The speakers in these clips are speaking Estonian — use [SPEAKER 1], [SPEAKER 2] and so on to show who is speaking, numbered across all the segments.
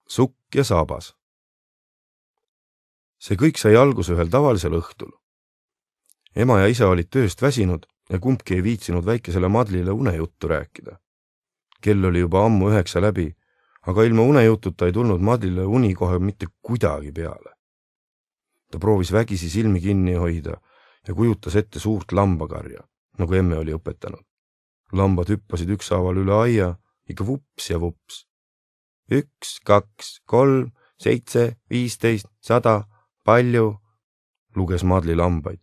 [SPEAKER 1] Sukk ja saabas. See kõik sai alguse ühel tavalisel õhtul. Ema ja isa olid tööst väsinud ja kumbki ei viitsinud väikesele Madlile unejuttu rääkida. Kell oli juba ammu 9 läbi, aga ilma unejututa ei tulnud Madlile uni kohe mitte kuidagi peale. Ta proovis vägisi silmi kinni hoida ja kujutas ette suurt lambakarja, nagu emme oli õpetanud. Lambad hüppasid ükshaaval üle aia, ikka vups ja vups. 1, 2, 3, 7, 15, 100, palju, luges Madli lambaid.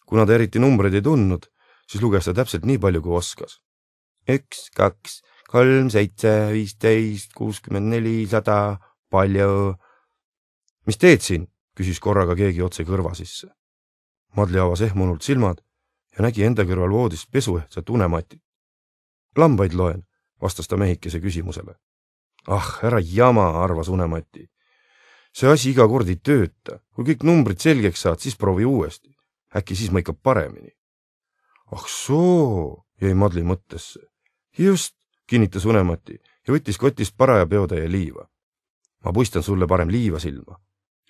[SPEAKER 1] Kuna ta eriti numbreid ei tundnud, siis luges ta täpselt nii palju, kui oskas. 1, 2, 3, 7, 15, 64, 100, palju. Mis teed siin? Küsis korraga keegi otse kõrva sisse. Madli avas ehmunult silmad ja nägi enda kõrval voodist pesuehtsat unematit. Lambaid loen, vastas ta mehikese küsimusele. Ah, ära jama, arvas unemati. See asi iga kord ei tööta. Kui kõik numbrid selgeks saad, siis proovi uuesti. Äkki siis ma ikka paremini. Ah soo, jäi Madli mõttesse. Just, kinnitas unemati ja võttis kotist paraja peotäie liiva. Ma puistan sulle parem liiva silma.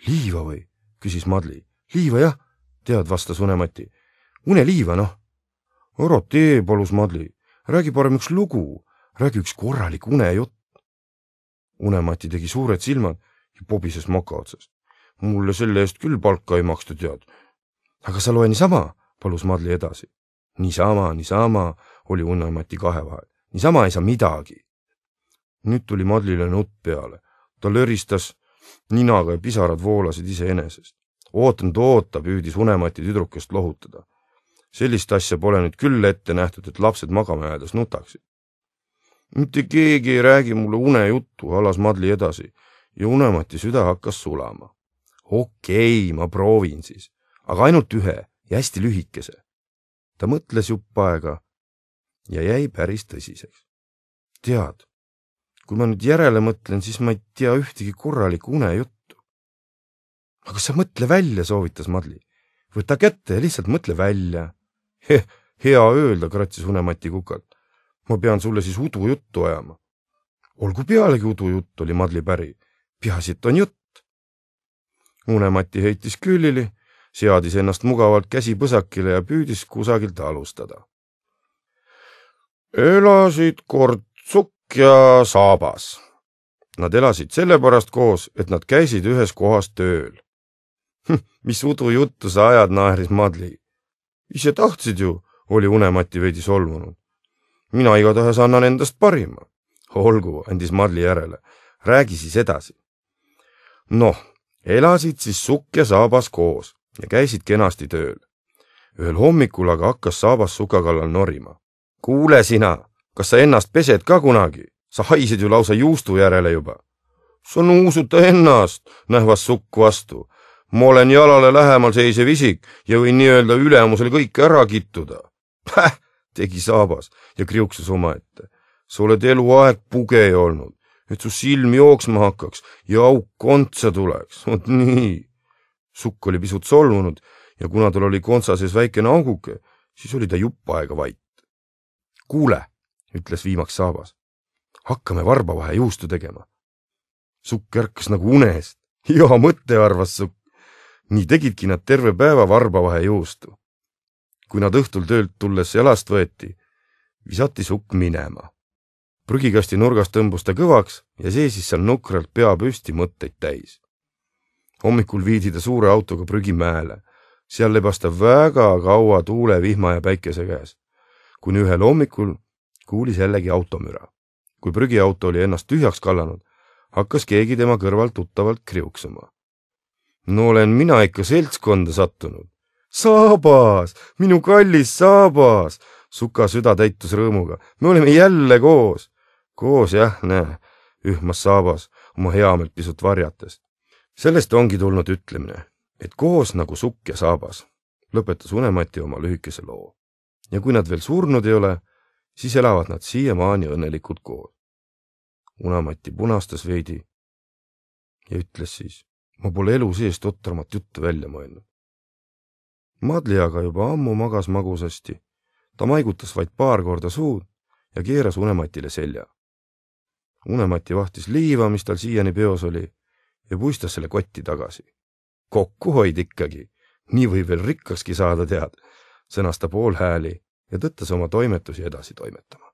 [SPEAKER 1] Liiva või? Küsis Madli. Liiva jah, tead, vastas unemati. Uneliiva, noh. Ära tee, palus Madli. Räägi parem üks lugu. Räägi üks korralik unejutt. Unemati tegi suured silmad ja pobises moka otsast. Mulle selle eest küll palka ei maksta, tead. Aga sa loe niisama, palus Madli edasi. Niisama, oli unemati kahe vahel. Niisama ei saa midagi. Nüüd tuli Madlile nutt peale. Ta löristas ninaga ja pisarad voolasid iseenesest. Oota, püüdis unemati tüdrukest lohutada. Sellist asja pole nüüd küll ette nähtud, et lapsed magama jäädes nutaksid. Mitte keegi ei räägi mulle unejuttu, alas Madli edasi ja unemati süda hakkas sulama. Okei, ma proovin siis, aga ainult ühe ja hästi lühikese. Ta mõtles jupp aega ja jäi päris tõsiseks. Tead, kui ma nüüd järele mõtlen, siis ma ei tea ühtegi korralikku unejuttu. Aga sa mõtle välja, soovitas Madli. Võta kätte ja lihtsalt mõtle välja. Hea öelda, kratsis unemati kukalt. Ma pean sulle siis udujuttu ajama. Olgu pealegi udujutt, oli Madli päri. Peaasi, et on jutt. Unemati heitis küülili, seadis ennast mugavalt käsi põsakile ja püüdis kusagilt alustada. Elasid kord Sukk ja Saabas. Nad elasid sellepärast koos, et nad käisid ühes kohas tööl. Mis udujuttu sa ajad, naeris Madli. Ise tahtsid ju, oli unemati veidi solvunud. Mina igatahes annan endast parima. Olgu, andis Madli järele. Räägi siis edasi. Noh, elasid siis Sukk ja Saabas koos ja käisid kenasti tööl. Ühel hommikul aga hakkas Saabas Suka kallal norima. Kuule sina, kas sa ennast pesed ka kunagi? Sa haisid ju lausa juustu järele juba. Sa nuusuta ennast, nähvas Sukk vastu. Ma olen jalale lähemal seisev isik ja võin nii-öelda ülemusel kõik ära kittuda. Tegi Saabas ja kriuksus omaette. Sa oled eluaeg pugej olnud, et su silm jooksma hakkaks ja auk kontsa tuleks. Vot nii. Sukk oli pisut solvunud ja kuna tal oli kontsa sees väikene auguke, siis oli ta jupp aega vait. Kuule, ütles viimaks Saabas. Hakkame varbavahe juustu tegema. Sukk ärkas nagu unest. Hea mõte, arvas Sukk. Nii tegidki nad terve päeva varbavahe juustu. Kui nad õhtul töölt tulles jalast võeti, visati Sukk minema. Prügikasti nurgast tõmbus ta kõvaks ja seisis seal nukralt pea püsti mõtteid täis. Hommikul viidi ta suure autoga prügimäele. Seal lebas ta väga kaua tuule, vihma ja päikese käes. Kuni ühel hommikul kuulis jällegi automüra. Kui prügiauto oli ennast tühjaks kallanud, hakkas keegi tema kõrval tuttavalt kriuksuma. No olen mina ikka seltskonda sattunud. Saabas, minu kallis Saabas, Suka süda täitus rõõmuga. Me oleme jälle koos. Koos jah, näe, ühmas Saabas oma heameelt pisut varjates. Sellest ongi tulnud ütlemine, et koos nagu Sukk ja Saabas, lõpetas unemati oma lühikese loo. Ja kui nad veel surnud ei ole, siis elavad nad siiamaani õnnelikult koos. Unemati punastas veidi ja ütles siis, ma pole elu seest otramat juttu välja mõelnud. Madli aga juba ammu magas magusasti. Ta maigutas vaid paar korda suud ja keeras unematile selja. Unemati vahtis liiva, mis tal siiani peos oli, ja puistas selle kotti tagasi. Kokkuhoid ikkagi, nii võib veel rikkakski saada, tead, sõnas ta poolhääli ja tõttas oma toimetusi edasi toimetama.